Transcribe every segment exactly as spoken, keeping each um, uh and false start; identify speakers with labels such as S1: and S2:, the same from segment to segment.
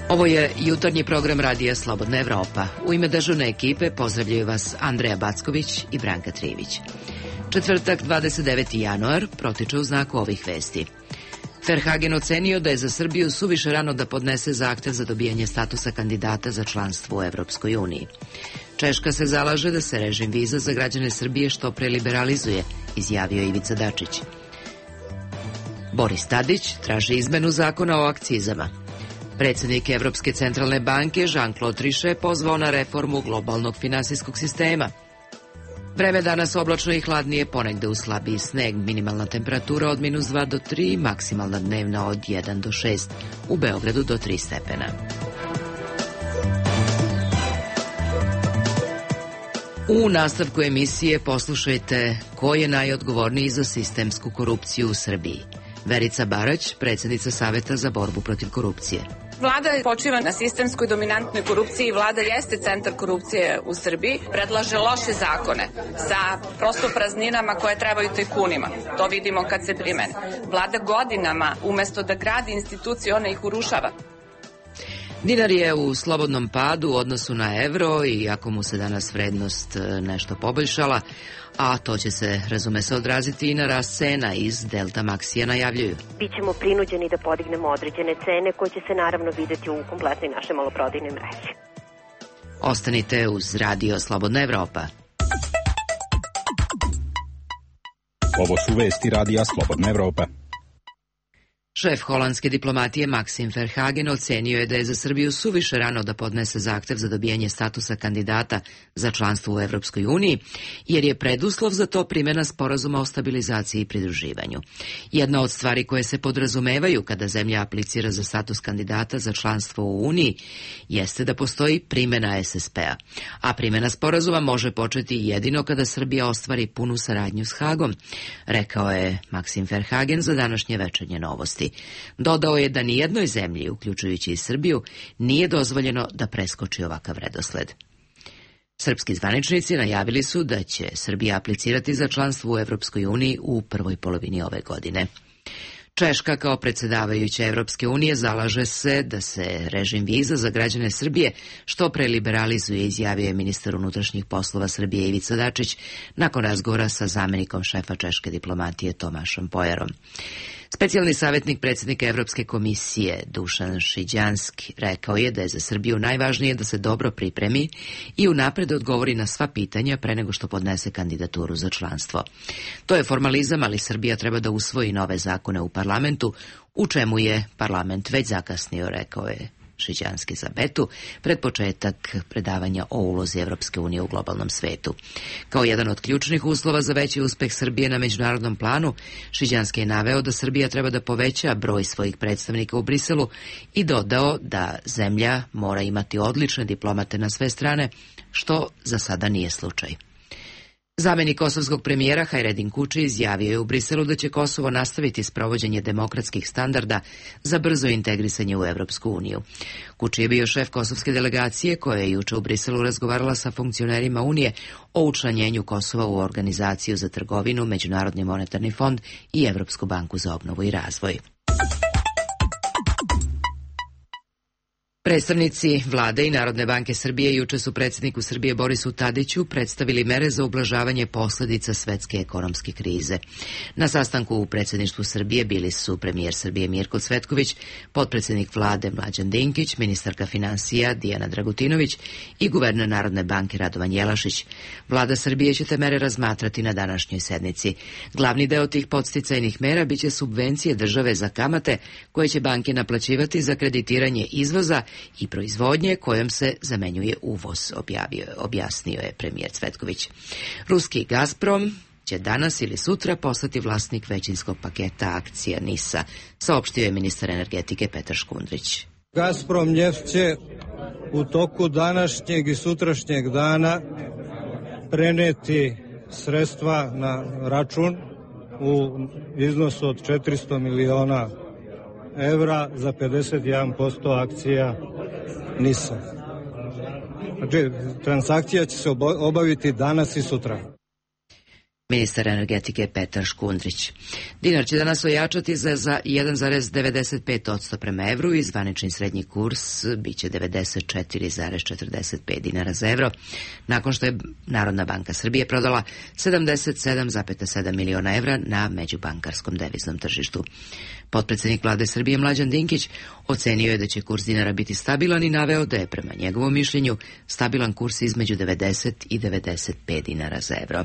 S1: Ovo je jutarnji program Radija Slobodna Evropa. U ime dežurne ekipe pozdravljaju vas Andreja Backović i Branka Trivić. Četvrtak, dvadeset deveti januar, protiče u znaku ovih vesti. Verhagen ocenio da je za Srbiju suviše rano da podnese zahtev za dobijanje statusa kandidata za članstvo u Evropskoj uniji. Češka se zalaže da se režim viza za građane Srbije što pre liberalizuje, izjavio Ivica Dačić. Boris Tadić traži izmenu zakona o akcizama. Predsjednik Evropske centralne banke Jean-Claude Trichet pozvao na reformu globalnog finansijskog sistema. Vreme danas oblačno i hladnije, ponegde u slabiji sneg, minimalna temperatura od minus dva do tri, maksimalna dnevna od jedan do šest, u Beogradu do tri stepena. U nastavku emisije poslušajte ko je najodgovorniji za sistemsku korupciju u Srbiji. Verica Barać, predsjednica Saveta za borbu protiv korupcije.
S2: Vlada počiva na sistemskoj dominantnoj korupciji, vlada jeste centar korupcije u Srbiji, predlaže loše zakone sa prosto prazninama koje trebaju tajkunima. To vidimo kad se primene. Vlada godinama, umesto da gradi institucije, ona ih urušava.
S1: Dinar je u slobodnom padu u odnosu na evro, i ako mu se danas vrednost nešto poboljšala, a to će se, razume se, odraziti i na rast cena, iz Delta Maxija najavljuju.
S3: Bićemo prinuđeni da podignemo određene cene koje će se naravno videti u kompletnoj našoj maloprodajnoj mreži.
S1: Ostanite uz Radio Slobodna Evropa.
S4: Ovo su vesti Radija Slobodna Evropa.
S1: Šef holandske diplomatije Maxim Verhagen ocenio je da je za Srbiju suviše rano da podnese zahtev za dobijanje statusa kandidata za članstvo u Evropskoj uniji, jer je preduslov za to primjena sporazuma o stabilizaciji i pridruživanju. Jedna od stvari koje se podrazumevaju kada zemlja aplicira za status kandidata za članstvo u Uniji jeste da postoji primjena es es pe a, a primjena sporazuma može početi jedino kada Srbija ostvari punu saradnju s Hagom, rekao je Maxim Verhagen za današnje Večernje novosti. Dodao je da nijednoj zemlji, uključujući i Srbiju, nije dozvoljeno da preskoči ovakav redosled. Srpski zvaničnici najavili su da će Srbija aplicirati za članstvo u Evropskoj uniji u prvoj polovini ove godine. Češka kao predsjedavajuća Evropske unije zalaže se da se režim viza za građane Srbije što pre liberalizuje, izjavio je ministar unutrašnjih poslova Srbije Ivica Dačić nakon razgovora sa zamjenikom šefa češke diplomatije Tomašom Pojarom. Specijalni savjetnik predsjednika Evropske komisije Dušan Šiđanski rekao je da je za Srbiju najvažnije da se dobro pripremi i unapred odgovori na sva pitanja pre nego što podnese kandidaturu za članstvo. To je formalizam, ali Srbija treba da usvoji nove zakone u parlamentu, u čemu je parlament već zakasnio, rekao je Šiđanski za Betu, pred početak predavanja o ulozi Evropske unije u globalnom svetu. Kao jedan od ključnih uslova za veći uspeh Srbije na međunarodnom planu, Šiđanski je naveo da Srbija treba da poveća broj svojih predstavnika u Briselu i dodao da zemlja mora imati odlične diplomate na sve strane, što za sada nije slučaj. Zamjenik kosovskog premijera Hajredin Kuči izjavio je u Briselu da će Kosovo nastaviti sprovođenje demokratskih standarda za brzo integrisanje u Evropsku uniju. Kuči je bio šef kosovske delegacije koja je juče u Briselu razgovarala sa funkcionerima Unije o učlanjenju Kosova u Organizaciju za trgovinu, Međunarodni monetarni fond i Evropsku banku za obnovu i razvoj. Predstavnici Vlade i Narodne banke Srbije juče su predsjedniku Srbije Borisu Tadiću predstavili mere za ublažavanje posljedica svetske ekonomske krize. Na sastanku u predsjedništvu Srbije bili su premijer Srbije Mirko Cvetković, potpredsjednik Vlade Mlađan Dinkić, ministarka financija Dijana Dragutinović i guverner Narodne banke Radovan Jelašić. Vlada Srbije će te mere razmatrati na današnjoj sednici. Glavni deo tih podsticajnih mera biće subvencije države za kamate koje će banke naplaćivati za kreditiranje izvoza i proizvodnje kojom se zamenjuje uvoz, objavio, objasnio je premijer Cvetković. Ruski Gazprom će danas ili sutra postati vlasnik većinskog paketa akcija NIS-a, saopštio je ministar energetike Petar Škundrić.
S5: Gazprom neft će u toku današnjeg i sutrašnjeg dana preneti sredstva na račun u iznosu od četiristo miliona evra za pedeset jedan posto akcija NIS-a. Znači, transakcija će se obaviti danas i sutra.
S1: Ministar energetike Petar Škundrić. Dinar će danas ojačati za, za jedan zarez devedeset pet posto prema evru i zvanični srednji kurs biće devedeset četiri zarez četrdeset pet dinara za evro, nakon što je Narodna banka Srbije prodala sedamdeset sedam zarez sedam miliona evra na međubankarskom deviznom tržištu. Potpredsednik vlade Srbije Mlađan Dinkić ocenio je da će kurs dinara biti stabilan i naveo da je prema njegovom mišljenju stabilan kurs između devedeset i devedeset pet dinara za evro.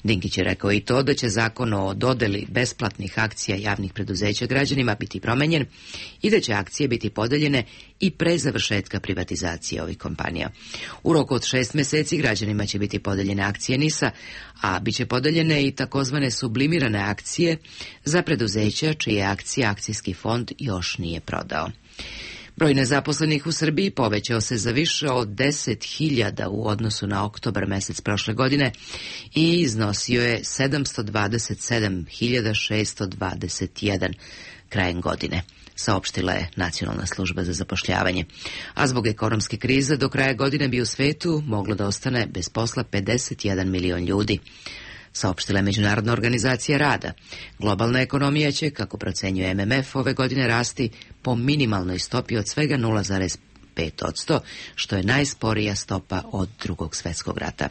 S1: Dinkić je rekao i to da će zakon o dodeli besplatnih akcija javnih preduzeća građanima biti promenjen i da će akcije biti podeljene i pre završetka privatizacije ovih kompanija. U roku od šest meseci građanima će biti podeljene akcije NIS-a, a bit će podeljene i takozvane sublimirane akcije za preduzeća čije akcije akcijski fond još nije prodao. Broj nezaposlenih u Srbiji povećao se za više od deset hiljada u odnosu na oktobar mesec prošle godine i iznosio je sedamsto dvadeset sedam hiljada šesto dvadeset jedan krajem godine, saopštila je Nacionalna služba za zapošljavanje. A zbog ekonomske krize do kraja godine bi u svetu moglo da ostane bez posla pedeset jedan milion ljudi, saopštila je Međunarodna organizacija rada. Globalna ekonomija će, kako procenjuje M M F, ove godine rasti po minimalnoj stopi od svega nula zarez pet posto, što je najsporija stopa od Drugog svetskog rata.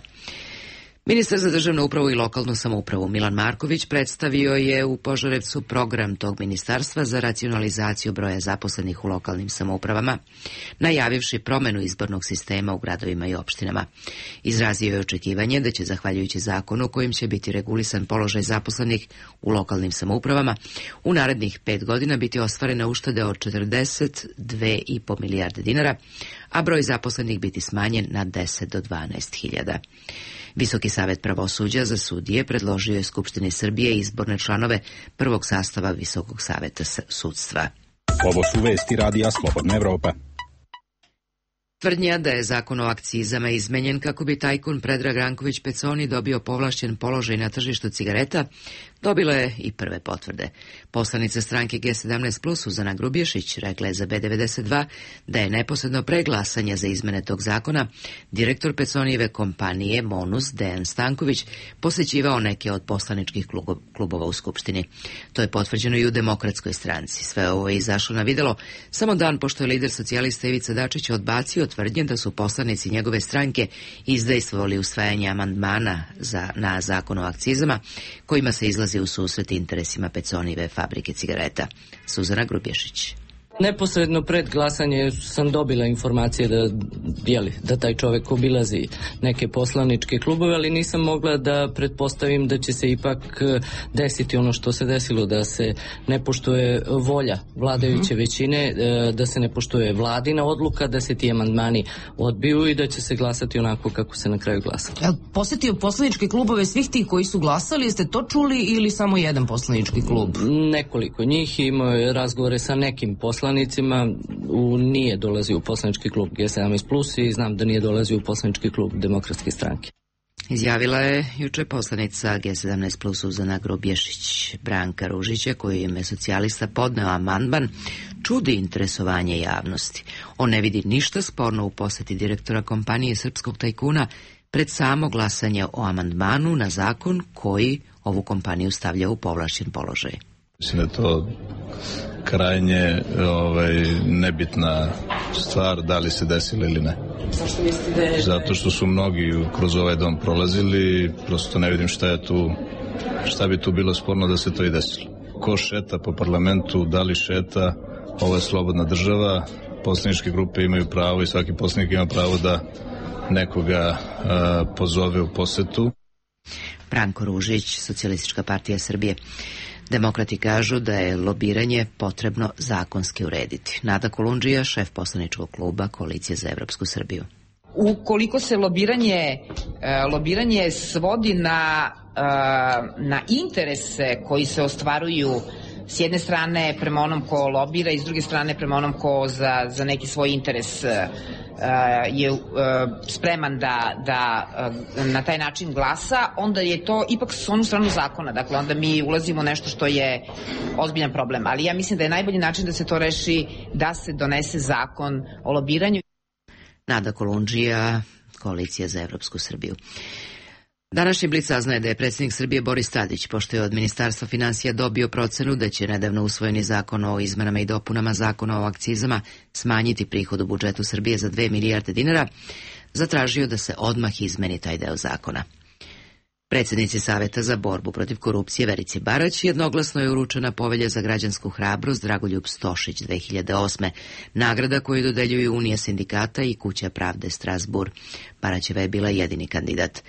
S1: Ministar za državnu upravu i lokalnu samoupravu Milan Marković predstavio je u Požarevcu program tog ministarstva za racionalizaciju broja zaposlenih u lokalnim samoupravama, najavivši promenu izbornog sistema u gradovima i opštinama. Izrazio je očekivanje da će, zahvaljujući zakonu kojim će biti regulisan položaj zaposlenih u lokalnim samoupravama, u narednih pet godina biti ostvarene uštede od četrdeset dve i po milijarde dinara, a broj zaposlenih biti smanjen na deset do dvanaest hiljada. Visoki savet pravosuđa za sudije predložio je Skupštini Srbije izborne članove prvog sastava Visokog saveta sudstva.
S4: Ovo su vesti radija Slobodna Evropa.
S1: Tvrdnja da je zakon o akcizama izmenjen kako bi tajkun Predrag Ranković Peconi dobio povlašćen položaj na tržištu cigareta, dobila je i prve potvrde. Poslanica stranke G sedamnaest plus Suzana Grubješić rekla je za B devedeset dva da je neposredno pre glasanja za izmene tog zakona direktor Peconijeve kompanije Monus Dejan Stanković posećivao neke od poslaničkih klubova u Skupštini. To je potvrđeno i u Demokratskoj stranci. Sve ovo je izašlo na videlo samo dan pošto je lider socijalista Ivica Dačić odbacio tvrdnje da su poslanici njegove stranke izdejstvovali usvajanje amandmana za, na zakon o akcizama, kojima se izlazi u susret interesima Peconijeve fabrike cigareta. Suzana Grubješić.
S6: Neposredno pred glasanje sam dobila informacije da, jeli, da taj čovek obilazi neke poslaničke klubove, ali nisam mogla da pretpostavim da će se ipak desiti ono što se desilo, da se ne poštuje volja vladajuće većine, da se ne poštuje vladina odluka, da se ti amandmani odbiju i da će se glasati onako kako se na kraju glasalo.
S7: Ja, posetio poslaničke klubove svih tih koji su glasali, jeste to čuli ili samo jedan poslanički klub?
S6: Nekoliko njih, imao je razgovore sa nekim poslanicima, u, nije dolazio u poslanički klub G sedamnaest plus i znam da nije dolazio u poslanički klub Demokratske stranke.
S1: Izjavila je juče poslanica G sedamnaest plus Suzana Grubješić. Branka Ružića, koju je ime socijalista podneo amandman, čudi interesovanje javnosti. On ne vidi ništa sporno u poseti direktora kompanije srpskog tajkuna pred samo glasanje o amandmanu na zakon koji ovu kompaniju stavlja u povlašćen položaj.
S8: Mislim da je to krajnje ovaj, nebitna stvar, da li se desilo ili ne.
S7: Zašto mislite da je...
S8: Zato što su mnogi kroz ovaj dom prolazili, prosto ne vidim šta je tu, šta bi tu bilo sporno da se to i desilo. Ko šeta po parlamentu, da li šeta, ovo je slobodna država, poslaničke grupe imaju pravo i svaki poslanik ima pravo da nekoga a, pozove u posetu.
S1: Branko Ružić, Socijalistička partija Srbije. Demokrati kažu da je lobiranje potrebno zakonski urediti. Nada Kolundžija, šef poslaničkog kluba Koalicije za Evropsku Srbiju.
S9: Ukoliko se lobiranje, lobiranje svodi na, na interese koji se ostvaruju s jedne strane prema onom ko lobira i s druge strane prema onom ko za, za neki svoj interes uh, je uh, spreman da, da uh, na taj način glasa, onda je to ipak s onu stranu zakona. Dakle, onda mi ulazimo u nešto što je ozbiljan problem. Ali ja mislim da je najbolji način da se to reši da se donese zakon o lobiranju.
S1: Nada Kolundžija, Koalicija za Evropsku Srbiju. Današnji Blic saznaje da je predsjednik Srbije Boris Tadić, pošto je od Ministarstva finansija dobio procenu da će nedavno usvojeni zakon o izmenama i dopunama zakona o akcizama smanjiti prihod u budžetu Srbije za dve milijarde dinara, zatražio da se odmah izmeni taj deo zakona. Predsjednici Saveta za borbu protiv korupcije Verici Barać jednoglasno je uručena povelja za građansku hrabrost Dragoljub Stošić dve hiljade osme, nagrada koju dodeljuju Unija sindikata i Kuća pravde Strasbourg. Baraćeva je bila jedini kandidat.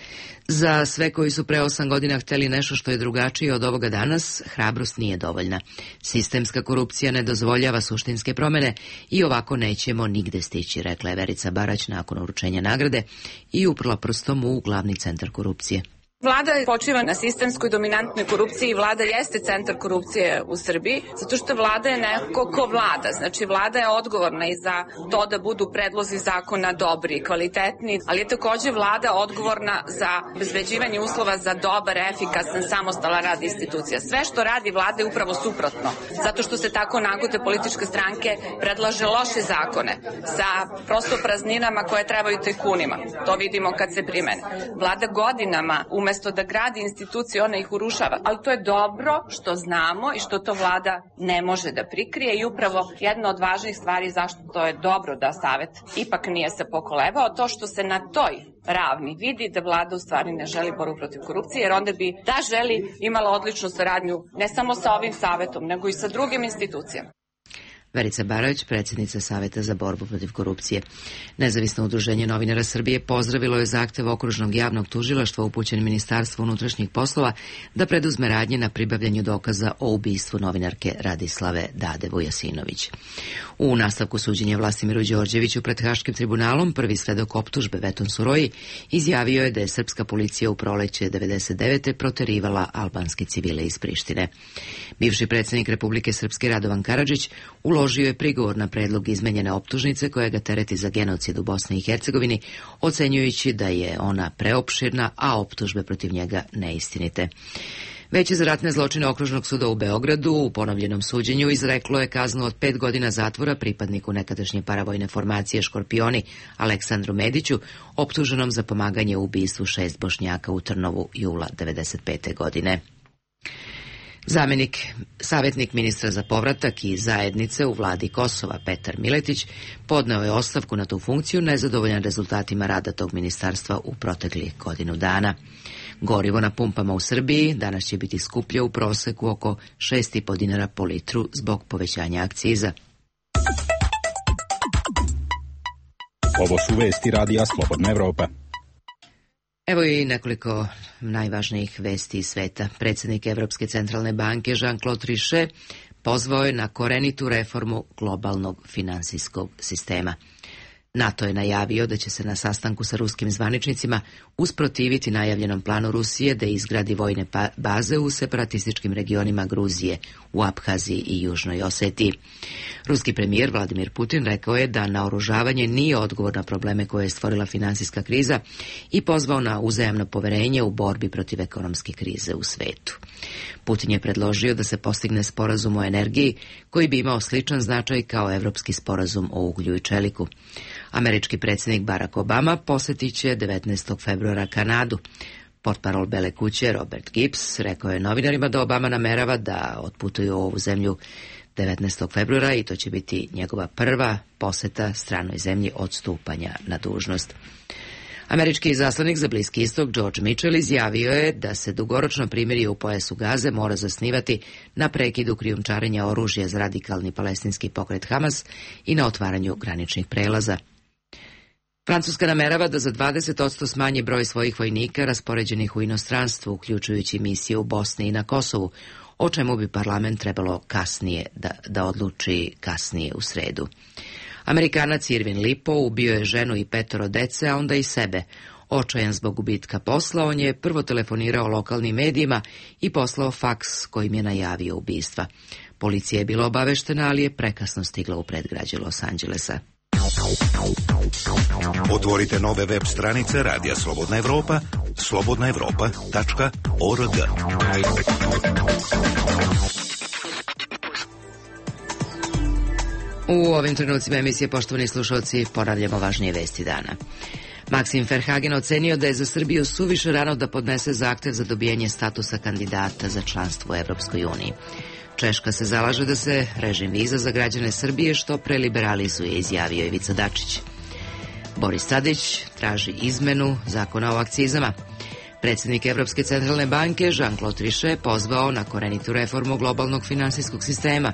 S1: Za sve koji su pre osam godina hteli nešto što je drugačije od ovoga danas, hrabrost nije dovoljna. Sistemska korupcija ne dozvoljava suštinske promene i ovako nećemo nigde stići, rekla je Verica Barać nakon uručenja nagrade i uprla prstom u glavni centar korupcije.
S2: Vlada počiva na sistemskoj dominantnoj korupciji i vlada jeste centar korupcije u Srbiji, zato što vlada je neko ko vlada. Znači, vlada je odgovorna i za to da budu predlozi zakona dobri i kvalitetni, ali je takođe vlada odgovorna za obezbeđivanje uslova za dobar, efikasan, samostalan rad institucija. Sve što radi vlada je upravo suprotno, zato što se tako nagute političke stranke predlaže loše zakone sa prosto prazninama koje trebaju tajkunima. To vidimo kad se primene. Vlada godinama umesto Umesto da gradi institucije, ona ih urušava. Ali to je dobro što znamo i što to vlada ne može da prikrije i upravo jedna od važnih stvari zašto to je dobro da Savet ipak nije se pokolebao, to što se na toj ravni vidi da vlada u stvari ne želi borbu protiv korupcije, jer onda bi da želi imala odličnu saradnju ne samo sa ovim Savetom, nego i sa drugim institucijama.
S1: Verica Barać, predsjednica Saveta za borbu protiv korupcije. Nezavisno udruženje novinara Srbije pozdravilo je zahtev okružnog javnog tužilaštva upućen Ministarstvu unutrašnjih poslova da preduzme radnje na pribavljanju dokaza o ubistvu novinarke Radislave Dade Vujasinović. U nastavku suđenja Vlastimiru Đorđeviću pred Haškim tribunalom prvi svedok optužbe Veton Suroji izjavio je da je srpska policija u proleće devedeset devete proterivala albanske civile iz Prištine. Bivši predsjednik Republike Srpske Radovan Karadžić uložio je prigovor na predlog izmenjene optužnice koja ga tereti za genocid u Bosni i Hercegovini, ocenjujući da je ona preopširna, a optužbe protiv njega neistinite. Veće za ratne zločine Okružnog suda u Beogradu u ponovljenom suđenju izreklo je kaznu od pet godina zatvora pripadniku nekadašnje paravojne formacije Škorpioni Aleksandru Mediću, optuženom za pomaganje u ubistvu šest Bošnjaka u Trnovu jula devedeset pete godine. Zamenik, savjetnik ministra za povratak i zajednice u vladi Kosova Petar Miletić podneo je ostavku na tu funkciju nezadovoljan rezultatima rada tog ministarstva u proteklih godinu dana. Gorivo na pumpama u Srbiji danas će biti skuplje u proseku oko šest i po dinara po litru zbog povećanja akciza.
S4: Ovo su vesti radija Slobodna Evropa.
S1: Evo i nekoliko najvažnijih vesti iz sveta. Predsjednik Evropske centralne banke Jean-Claude Trichet pozvao je na korenitu reformu globalnog finansijskog sistema. NATO je najavio da će se na sastanku sa ruskim zvaničnicima usprotiviti najavljenom planu Rusije da izgradi vojne baze u separatističkim regionima Gruzije, u Abhaziji i Južnoj Osetiji. Ruski premijer Vladimir Putin rekao je da naoružavanje nije odgovor na probleme koje je stvorila finansijska kriza i pozvao na uzajamno poverenje u borbi protiv ekonomske krize u svetu. Putin je predložio da se postigne sporazum o energiji koji bi imao sličan značaj kao evropski sporazum o uglju i čeliku. Američki predsjednik Barack Obama posjetit će devetnaestog februara Kanadu. Portparol Bele kuće Robert Gibbs rekao je novinarima da Obama namerava da otputuju u ovu zemlju devetnaestog februara i to će biti njegova prva posjeta stranoj zemlji od stupanja na dužnost. Američki izaslanik za Bliski istok George Mitchell izjavio je da se dugoročno primirje u pojasu Gaze mora zasnivati na prekidu krijumčarenja oružja za radikalni palestinski pokret Hamas i na otvaranju graničnih prelaza. Francuska namerava da za dvadeset posto smanji broj svojih vojnika raspoređenih u inostranstvu, uključujući misije u Bosni i na Kosovu, o čemu bi parlament trebalo kasnije da, da odluči kasnije u sredu. Amerikanac Irvin Lipo ubio je ženu i petoro dece, a onda i sebe. Očajan zbog gubitka posla, on je prvo telefonirao lokalnim medijima i poslao faks kojim je najavio ubistva. Policija je bila obaveštena, ali je prekasno stigla u predgrađe Los Angelesa.
S10: Otvorite nove web stranice Radija Slobodna Evropa, slobodna evropa tačka org.
S1: U ovim trenucima emisije, poštovani slušalci, ponavljamo važnije vesti dana. Maksim Verhagen ocenio da je za Srbiju suviše rano da podnese zahtev za dobijanje statusa kandidata za članstvo u Evropskoj uniji. Češka se zalaže da se režim viza za građane Srbije što pre liberalizuje, izjavio Ivica Dačić. Boris Tadić traži izmenu zakona o akcizama. Predsjednik Evropske centralne banke Jean-Claude Trichet pozvao na korenitu reformu globalnog finansijskog sistema.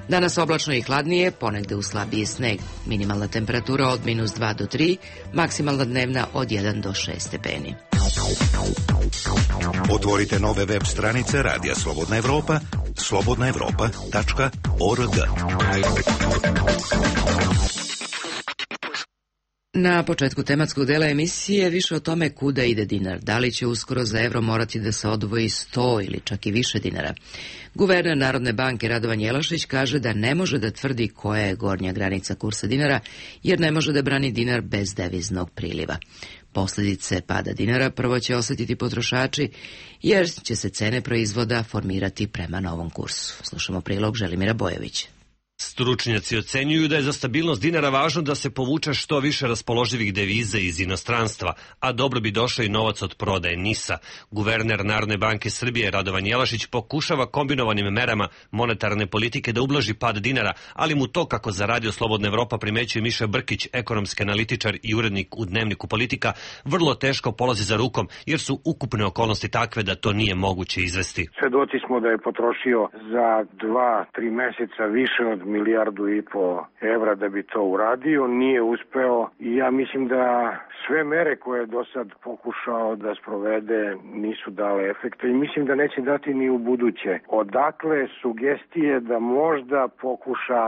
S1: Danas oblačno i hladnije, ponegde u slabiji sneg. Minimalna temperatura od minus dva do tri, maksimalna dnevna od jedan do šest stepeni.
S10: Otvorite nove web stranice Radija Slobodna Evropa, slobodna evropa tačka org.
S1: Na početku tematskog dela emisije više o tome kuda ide dinar. Da li će uskoro za evro morati da se odvoji sto ili čak i više dinara? Guverner Narodne banke Radovan Jelašić kaže da ne može da tvrdi koja je gornja granica kursa dinara, jer ne može da brani dinar bez deviznog priliva. Posljedice pada dinara prvo će osjetiti potrošači, jer će se cene proizvoda formirati prema novom kursu. Slušamo prilog Želimira Bojovića.
S11: Stručnjaci ocenjuju da je za stabilnost dinara važno da se povuče što više raspoloživih deviza iz inostranstva, a dobro bi došao i novac od prodaje NIS-a. Guverner Narodne banke Srbije Radovan Jelašić pokušava kombinovanim merama monetarne politike da ublaži pad dinara, ali mu to, kako za Radio Slobodna Evropa primećuje Miša Brkić, ekonomski analitičar i urednik u Dnevniku Politika, vrlo teško polazi za rukom, jer su ukupne okolnosti takve da to nije moguće izvesti.
S12: Svedoci smo da je potrošio za dva, tri meseca više od milijardu i po evra da bi to uradio, nije uspeo i ja mislim da sve mere koje je do sad pokušao da sprovede nisu dale efekta i mislim da neće dati ni u buduće. Odakle sugestije da možda pokuša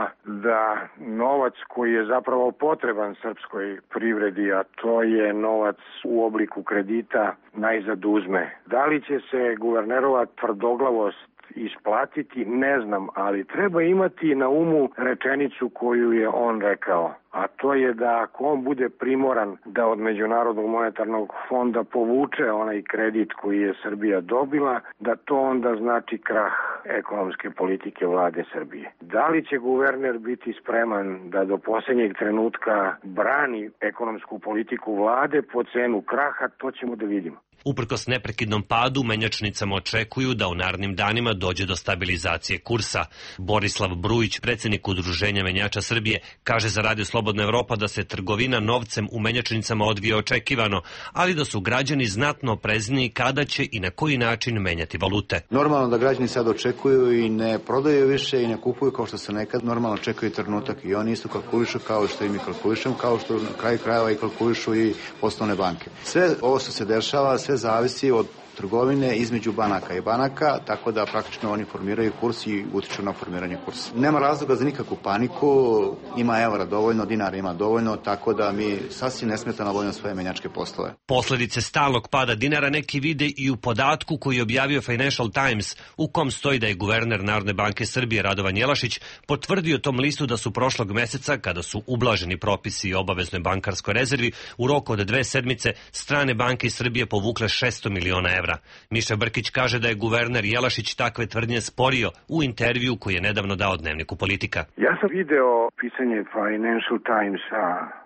S12: da novac koji je zapravo potreban srpskoj privredi, a to je novac u obliku kredita, najzad uzme. Da li će se guvernerova tvrdoglavost isplatiti, ne znam, ali treba imati na umu rečenicu koju je on rekao, a to je da ako on bude primoran da od Međunarodnog monetarnog fonda povuče onaj kredit koji je Srbija dobila, da to onda znači krah ekonomske politike vlade Srbije. Da li će guverner biti spreman da do posljednjeg trenutka brani ekonomsku politiku vlade po cenu kraha, to ćemo da vidimo.
S11: Uprkos neprekidnom padu, menjačnicama očekuju da u narednim danima dođe do stabilizacije kursa. Borislav Brujić, predsjednik Udruženja menjača Srbije, kaže za Radio Slobodna Evropa da se trgovina novcem u menjačnicama odvija očekivano, ali da su građani znatno oprezniji kada će i na koji način menjati valute.
S13: Normalno da građani sad očekuju i ne prodaju više i ne kupuju kao što se nekad normalno čekaju trenutak i oni isto kalkulišu kao što i mi kalkulišemo, kao što na kraju krajeva i kalkulišu i poslovne banke. Sve ovo što se dešava, sve zavisi od trgovine između banaka i banaka, tako da praktično oni formiraju kurs i utiču na formiranje kursa. Nema razloga za nikakvu paniku, ima evra dovoljno, dinara ima dovoljno, tako da mi sasvim nesmetano obavljamo svoje menjačke poslove.
S11: Posledice stalnog pada dinara neki vide i u podatku koji je objavio Financial Times, u kom stoji da je guverner Narodne banke Srbije Radovan Jelašić potvrdio tom listu da su prošlog meseca, kada su ublaženi propisi o obaveznoj bankarskoj rezervi, u roku od dve sedmice strane banke iz Srbije povukle šesto miliona evra. Miša Brkić kaže da je guverner Jelašić takve tvrdnje sporio u intervju koji je nedavno dao Dnevniku Politika.
S12: Ja sam video pisanje Financial Timesa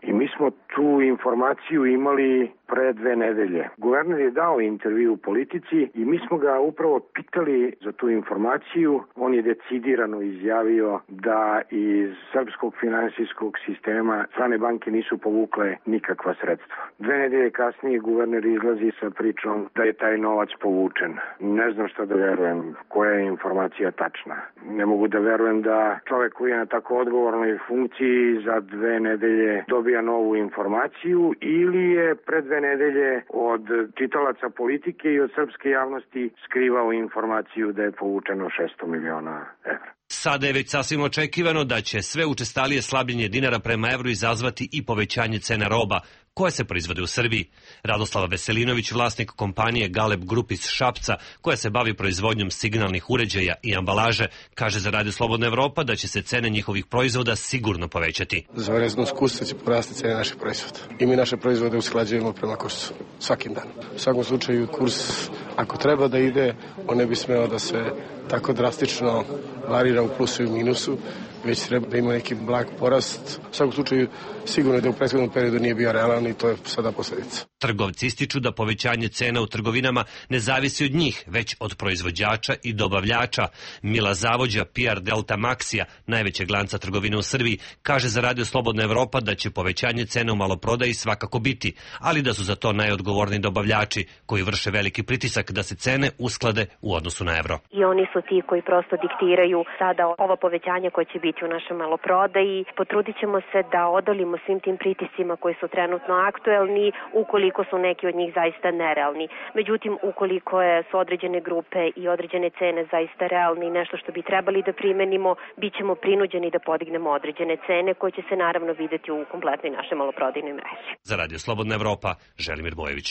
S12: i mi smo tu informaciju imali pre dve nedelje. Guverner je dao intervju u Politici i mi smo ga upravo pitali za tu informaciju. On je decidirano izjavio da iz srpskog finansijskog sistema strane banke nisu povukle nikakva sredstva. Dve nedelje kasnije guverner izlazi sa pričom da je taj novac povučen. Ne znam šta da verujem, koja je informacija tačna. Ne mogu da verujem da čovek koji je na tako odgovornoj funkciji za dve nedelje dobija novu informaciju ili je pred dve nedelje od čitalaca Politike i od srpske javnosti skrivao informaciju da je povučeno šesto miliona evra.
S11: Sada je već sasvim očekivano da će sve učestalije slabljenje dinara prema evru izazvati i povećanje cena roba koje se proizvode u Srbiji. Radoslava Veselinović, vlasnik kompanije Galeb Group iz Šapca, koja se bavi proizvodnjom signalnih uređaja i ambalaže, kaže za Radio Slobodna Evropa da će se cene njihovih proizvoda sigurno povećati.
S14: Za vremenskom kursa će porasti cene naših proizvoda. I mi naše proizvode usklađujemo prema kursu svakim danom. U svakom slučaju kurs, ako treba da ide, on ne bi smeo da se tako drastično varira u plusu i minusu, već treba da ima neki blag porast. U svakom slučaju sigurno da u prethodnom periodu nije bio realan i to je sada posledica.
S11: Trgovci ističu da povećanje cena u trgovinama ne zavisi od njih, već od proizvođača i dobavljača. Mila Zavođa, P R Delta Maxija, najvećeg lanca trgovine u Srbiji, kaže za Radio Slobodna Evropa da će povećanje cena u maloprodaji svakako biti, ali da su za to najodgovorni dobavljači koji vrše veliki pritisak da se cene usklade u odnosu na evro.
S3: I oni su ti koji prosto diktiraju sada ovo povećanje koje će biti u našoj maloprodaji. Potrudit ćemo se da odolimo svim tim pritiscima koji su trenutno aktuelni, ukoliko su neki od njih zaista nerealni. Međutim, ukoliko je, su određene grupe i određene cene zaista realni i nešto što bi trebali da primenimo, bit ćemo prinuđeni da podignemo određene cene koje će se naravno videti u kompletnoj našoj maloprodajnoj mreži.
S11: Za Radio Slobodna Evropa, Želimir Bojević.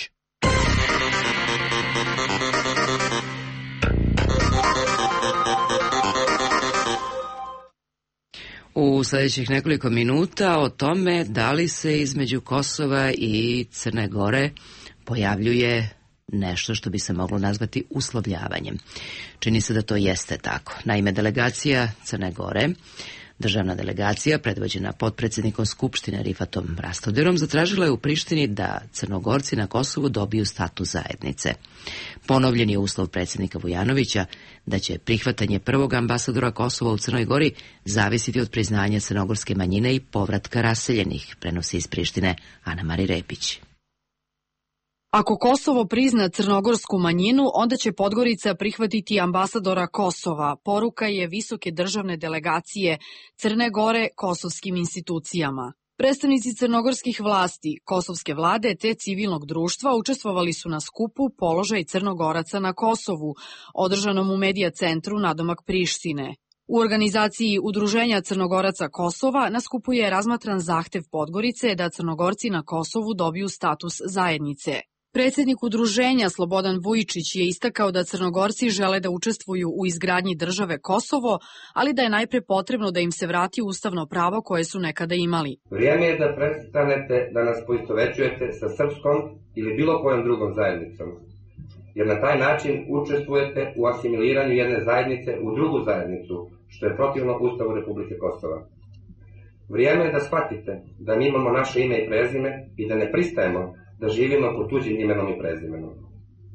S1: U sljedećih nekoliko minuta o tome da li se između Kosova i Crne Gore pojavljuje nešto što bi se moglo nazvati uslovljavanjem. Čini se da to jeste tako. Naime, delegacija Crne Gore, državna delegacija predvođena potpredsjednikom Skupštine Rifatom Rastoderom, zatražila je u Prištini da Crnogorci na Kosovu dobiju status zajednice. Ponovljen je uslov predsjednika Vujanovića da će prihvatanje prvog ambasadora Kosova u Crnoj Gori zavisiti od priznanja crnogorske manjine i povratka raseljenih, prenosi iz Prištine Ana Mari Repić.
S15: Ako Kosovo prizna crnogorsku manjinu, onda će Podgorica prihvatiti ambasadora Kosova. Poruka je visoke državne delegacije Crne Gore kosovskim institucijama. Predstavnici crnogorskih vlasti, kosovske vlade te civilnog društva učestvovali su na skupu Položaj Crnogoraca na Kosovu, održanom u Medija centru nadomak Prištine. U organizaciji Udruženja Crnogoraca Kosova na skupu je razmatran zahtev Podgorice da Crnogorci na Kosovu dobiju status zajednice. Predsjednik udruženja Slobodan Vujičić je istakao da Crnogorci žele da učestvuju u izgradnji države Kosovo, ali da je najpre potrebno da im se vrati ustavno pravo koje su nekada imali.
S16: Vrijeme je da prestanete da nas poistovećujete sa srpskom ili bilo kojom drugom zajednicom, jer na taj način učestvujete u asimiliranju jedne zajednice u drugu zajednicu, što je protivno Ustavu Republike Kosova. Vrijeme je da shvatite da mi imamo naše ime i prezime i da ne pristajemo da živimo pod tuđim imenom i prezimenom.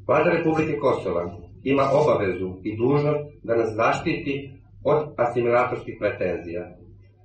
S16: Vlada Republike Kosova ima obavezu i dužnost da nas zaštiti od asimilatorskih pretenzija.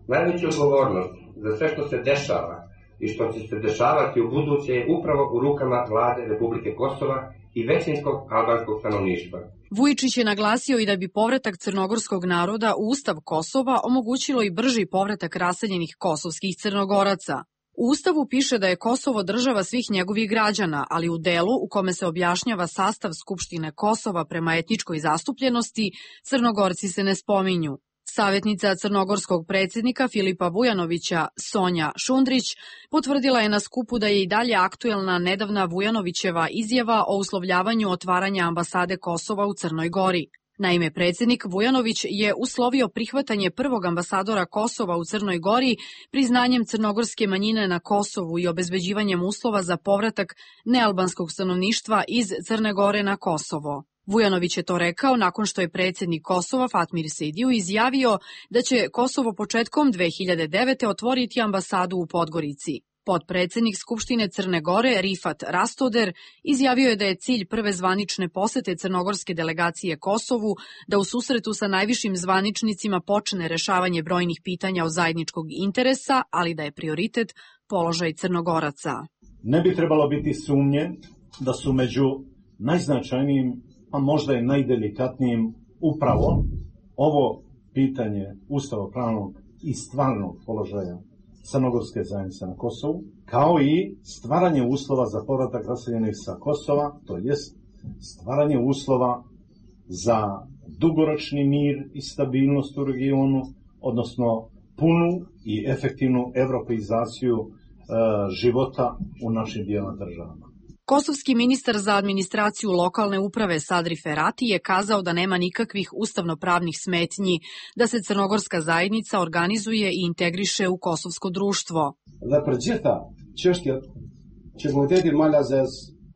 S16: Najveća odgovornost za sve što se dešava i što će se dešavati u buduće je upravo u rukama Vlade Republike Kosova i većinskog albanskog stanovništva.
S15: Vujičić je naglasio i da bi povratak crnogorskog naroda u Ustav Kosova omogućilo i brži povratak raseljenih kosovskih Crnogoraca. U Ustavu piše da je Kosovo država svih njegovih građana, ali u delu u kome se objašnjava sastav Skupštine Kosova prema etničkoj zastupljenosti, Crnogorci se ne spominju. Savjetnica crnogorskog predsjednika Filipa Vujanovića, Sonja Šundrić, potvrdila je na skupu da je i dalje aktuelna nedavna Vujanovićeva izjava o uslovljavanju otvaranja ambasade Kosova u Crnoj Gori. Naime, predsjednik Vujanović je uslovio prihvatanje prvog ambasadora Kosova u Crnoj Gori priznanjem crnogorske manjine na Kosovu i obezbeđivanjem uslova za povratak nealbanskog stanovništva iz Crne Gore na Kosovo. Vujanović je to rekao nakon što je predsjednik Kosova Fatmir Sidiju izjavio da će Kosovo početkom dve hiljade devete. otvoriti ambasadu u Podgorici. Potpredsjednik Skupštine Crne Gore Rifat Rastoder izjavio je da je cilj prve zvanične posete crnogorske delegacije Kosovu da u susretu sa najvišim zvaničnicima počne rešavanje brojnih pitanja od zajedničkog interesa, ali da je prioritet položaj Crnogoraca.
S17: Ne bi trebalo biti sumnje da su među najznačajnijim, a možda i najdelikatnijim upravo ovo pitanje ustavopravnog i stvarnog položaja crnogorske zajednice na Kosovu, kao i stvaranje uslova za povratak raseljenih sa Kosova, to jest stvaranje uslova za dugoročni mir i stabilnost u regionu, odnosno punu i efektivnu evropeizaciju e, života u našim dvijema državama.
S15: Kosovski ministar za administraciju lokalne uprave Sadri Ferati je kazao da nema nikakvih ustavno-pravnih smetnji da se crnogorska zajednica organizuje i integriše u kosovsko društvo.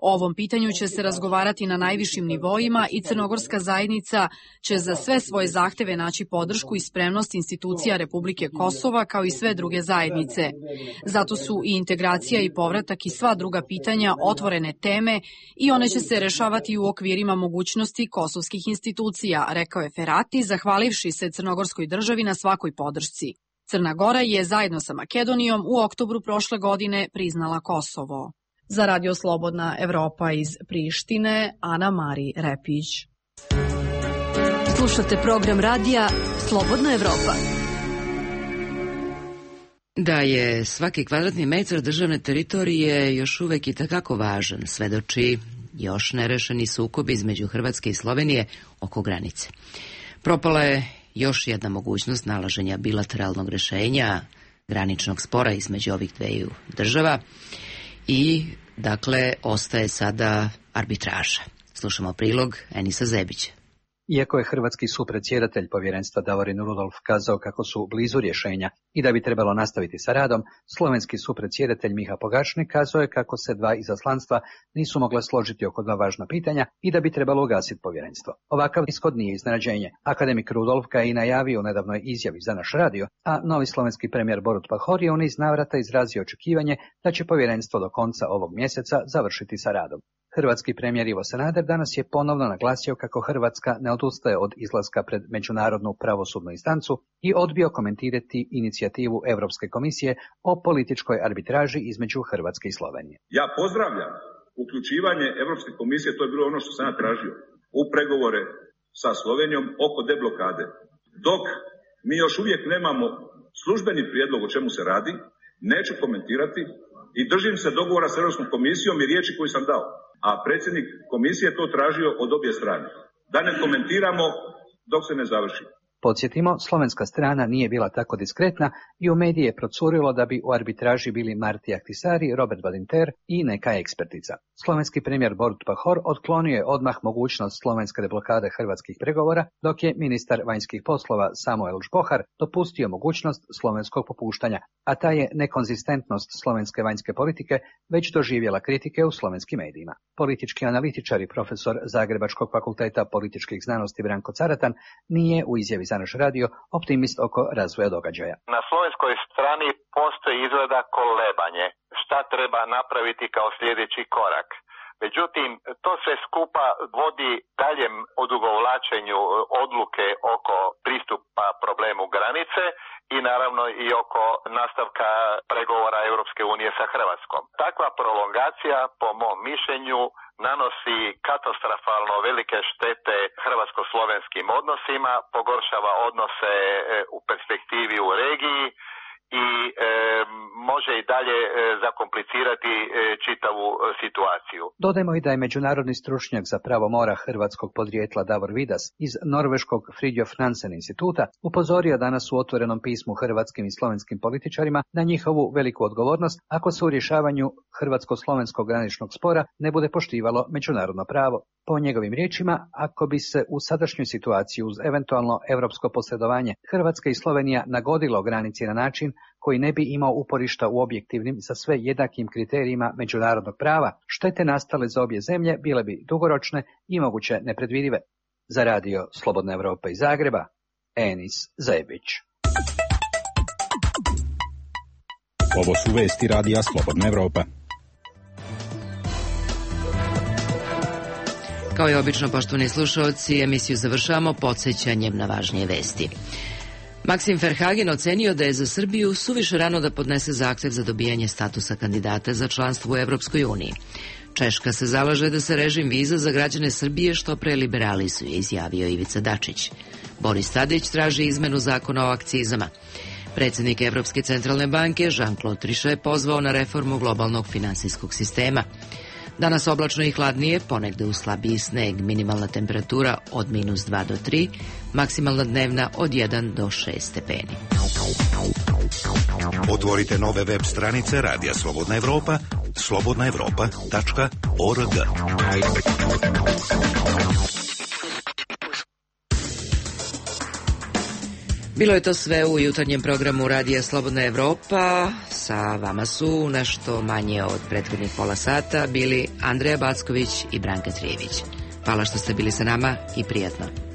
S15: O ovom pitanju će se razgovarati na najvišim nivoima i crnogorska zajednica će za sve svoje zahteve naći podršku i spremnost institucija Republike Kosova kao i sve druge zajednice. Zato su i integracija i povratak i sva druga pitanja otvorene teme i one će se rešavati u okvirima mogućnosti kosovskih institucija, rekao je Ferati, zahvalivši se crnogorskoj državi na svakoj podršci. Crna Gora je zajedno sa Makedonijom u oktobru prošle godine priznala Kosovo. Za Radio Slobodna Evropa iz Prištine, Ana Mari Repić.
S18: Slušate program radija Slobodna Evropa.
S1: Da je svaki kvadratni metar državne teritorije još uvek i takako važan, svedoči još nerešeni sukob između Hrvatske i Slovenije oko granice. Propala je još jedna mogućnost nalaženja bilateralnog rešenja graničnog spora između ovih dveju država i, dakle, ostaje sada arbitraža. Slušamo prilog Enisa Zebića.
S19: Iako je hrvatski supredsjedatelj povjerenstva Davorin Rudolf kazao kako su blizu rješenja i da bi trebalo nastaviti sa radom, slovenski supredsjedatelj Miha Pogačnik kazao je kako se dva izaslanstva nisu mogle složiti oko dva važna pitanja i da bi trebalo ugasiti povjerenstvo. Ovakav ishod nije iznenađenje. Akademik Rudolf ga je i najavio u nedavnoj izjavi za naš radio, a novi slovenski premijer Borut Pahor je u niz navrata izrazio očekivanje da će povjerenstvo do konca ovog mjeseca završiti sa radom. Hrvatski premijer Ivo Sanader danas je ponovno naglasio kako Hrvatska ne odustaje od izlaska pred međunarodnu pravosudnu instancu i odbio komentirati inicijativu Europske komisije o političkoj arbitraži između Hrvatske i Slovenije.
S20: Ja pozdravljam uključivanje Europske komisije, to je bilo ono što sam ja tražio, u pregovore sa Slovenijom oko deblokade. Dok mi još uvijek nemamo službeni prijedlog o čemu se radi, neću komentirati i držim se dogovora s Europskom komisijom i riječi koju sam dao. A predsjednik komisije je to tražio od obje strane. Da ne komentiramo dok se ne završi.
S19: Podsjetimo, slovenska strana nije bila tako diskretna i u medije je procurilo da bi u arbitraži bili Marti Ahtisari, Robert Badinter i neka ekspertica. Slovenski premijer Borut Pahor otklonio je odmah mogućnost slovenske deblokade hrvatskih pregovora, dok je ministar vanjskih poslova Samuel Žbohar dopustio mogućnost slovenskog popuštanja, a ta je nekonzistentnost slovenske vanjske politike već doživjela kritike u slovenskim medijima. Politički analitičar i profesor Zagrebačkog fakulteta političkih znanosti Branko Caratan nije u izjavi za naš radio optimist oko razvoja događaja.
S21: Na slovenskoj strani postoji izgleda kolebanje. Šta treba napraviti kao sljedeći korak? Međutim, to sve skupa vodi daljem odugovlačenju odluke oko pristupa problemu granice i naravno i oko nastavka pregovora Europske unije sa Hrvatskom. Takva prolongacija, po mom mišljenju, nanosi katastrofalno velike štete hrvatsko-slovenskim odnosima, pogoršava odnose u perspektivi u regiji i e, može i dalje e, zakomplicirati e, čitavu e, situaciju.
S19: Dodajmo i da je međunarodni stručnjak za pravo mora hrvatskog podrijetla Davor Vidas iz norveškog Fridtjof Nansen instituta upozorio danas u otvorenom pismu hrvatskim i slovenskim političarima na njihovu veliku odgovornost ako se u rješavanju hrvatsko-slovenskog graničnog spora ne bude poštivalo međunarodno pravo. Po njegovim riječima, ako bi se u sadašnjoj situaciji uz eventualno europsko posredovanje Hrvatska i Slovenija nagodilo granici na način koji ne bi imao uporišta u objektivnim za sve jednakim kriterijima međunarodnog prava, štete nastale za obje zemlje bile bi dugoročne i moguće nepredvidive. Za radio Slobodna Evropa iz Zagreba, Enis Zebić.
S4: Ovo su vesti radija Slobodna Evropa.
S1: Kao i obično, poštovani slušalci, emisiju završavamo podsjećanjem na važnije vesti. Maksim Verhagen ocenio da je za Srbiju suviše rano da podnese zahtev za dobijanje statusa kandidata za članstvo u Evropskoj uniji. Češka se zalaže da se režim viza za građane Srbije što pre liberalizuje, izjavio Ivica Dačić. Boris Tadić traži izmenu zakona o akcizama. Predsjednik Evropske centralne banke Jean-Claude Trichet pozvao na reformu globalnog finansijskog sistema. Danas oblačno i hladnije, ponegde uz slabiji sneg, minimalna temperatura od minus dva do tri, maksimalna dnevna od jedan do šest stepeni.
S10: Otvorite nove web stranice Radija Slobodna Evropa, slobodna evropa tačka org.
S1: Bilo je to sve u jutarnjem programu Radija Slobodna Evropa. Sa vama su nešto manje od prethodnih pola sata bili Andreja Backović i Branka Trijević. Hvala što ste bili sa nama i prijatno.